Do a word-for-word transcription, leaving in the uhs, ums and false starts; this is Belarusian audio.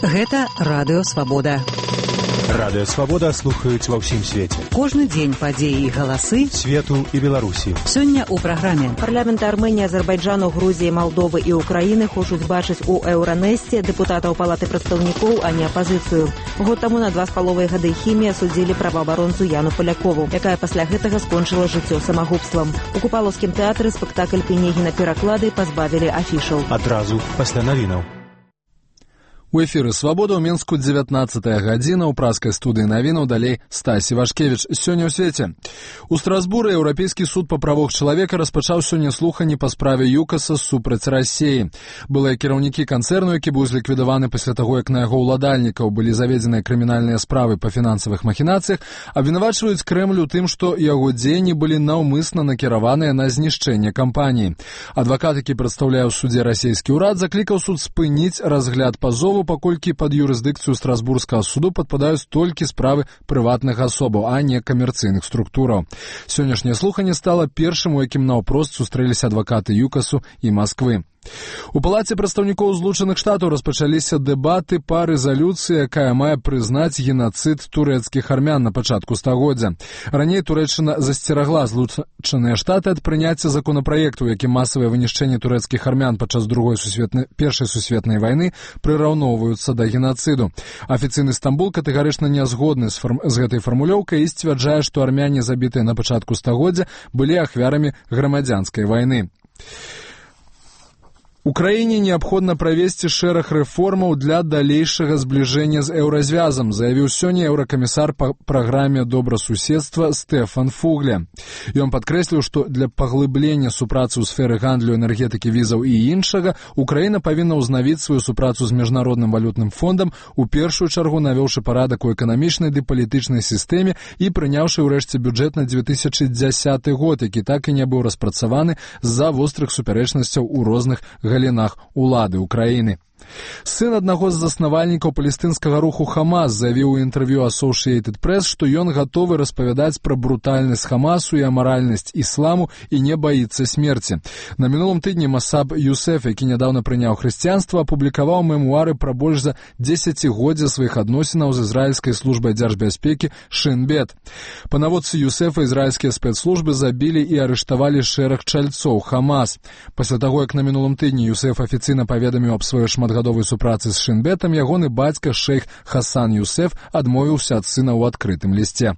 Гэта Радыё Свабода. Радыё Свабода слухаюць ва ўсім свеце. Кожны дзень падзеі і галасы свету і Беларусі. Сёння ў праграме. Парламенты Арменіі, Азербайджану, Грузіі, Малдовы і Украіны хочуць бачыць у Еўранэсце дэпутатаў Палаты прадстаўнікоў, а не апазіцыю. Год таму на два з паловай гады хімія судзілі праваабаронцу Яну Полякову, якая пасля гэтага скончыла жыццё самагубствам. У Купалаўскім тэатры спектакль Пінегіна пераклады пазбавілі афішаў. Адразу пасля навінаў. У эфіры «Свабода» ў Мінску дзевятнаццатая гадзіна, ў праскай студыі навінаў далей Стасі Вашкевіч. Сёння ў свеце. У Страсбуры Еўрапейскі суд па правах чалавека распачаў сёння слуханні па справе ЮКАСа супраць Расіі. Былыя кіраўнікі канцэрну, які быў зліквідаваны пасля таго, як на яго ўладальнікаў былі заведзеныя крымінальныя справы па фінансавых махінацыях, абвінавачваюць Крэмль у тым, што яго дзеянні былі наўмысна накіраваныя на знішчэнне кампаніі. Адвакат, які прадстаўляе ў судзе расійскі ўрад, заклікаў суд спыніць разгляд пазову, паколькі пад юрысдыкцыю Страсбургскага суду падпадаюць толькі справы прыватных асобаў, а не камерцыйных структураў. Сённяшняе слуханне стала першым, у якім наўпрост сустрэліся адвакаты ЮКАСу і Масквы. У Палаце прадстаўнікоў Злучаных Штатаў распачаліся дэбаты па рэзалюцыі, якая мае прызнаць генацыд турэцкіх армян на пачатку стагоддзя. Раней Турэччына засцерагла Злучаныя Штаты ад прыняцця законапраекту, якім масавае вынішчэнне турэцкіх армян падчас другой сусветнай першай сусветнай вайны прыраўноўваюцца да генацыду. Афіцыйны Стамбул катэгарычна не згодны з, фарм... з гэтай фармулёўкай і сцвярджае, што армяне, забітыя на пачатку стагоддзя, былі ахвярамі грамадзянскай вайны. Украіне неабходна правесці шэраг рэформаў для далейшага збліжэння з еўразвязам, заявіў сёння еўракамісар па праграме добрасуседства Стэфан Фугле. Ён падкрэсліў, што для паглыблення супрацы ў сферы гандлю, энергетыкі, візаў і іншага Украіна павінна ўзнавіць сваю супрацу з міжнародным валютным фондам, у першую чаргу навёўшы парадак у эканамічнай ды палітычнай сістэме і прыняўшы ўрэшце бюджэт на дзве тысячы дзясяты год, які так і не быў распрацаваны з-за вострых супярэчнасцяў у розных галінах улады Украіны. Сын аднаго з заснавальнікаў палестынскага руху Хамас заявіў у інтэрв'ю Associated Press, што ён гатовы распавядаць пра брутальнасць Хамасу і амаральнасць ісламу і не баіцца смерці. На мінулым тыдні Масаб Юсеф, які нядаўна прыняў хрысціянства, апублікаваў мемуары пра больш за дзесяцігоддзя сваіх адносінаў з ізраільскай службай дзяржбяспекі Шин Бет. Па наводцы Юсефа ізраільскія спецслужбы забілі і арыштавалі шэраг чальцоў Хамас. Пасля таго, як на мінулым тыдні Юсеф афіцыйна паведаміў аб сваёй шматгадовай супрацы з Шинбетам, ягоны бацька шэйх Хасан Юсеф адмовіўся ад сына ў адкрытым лісце.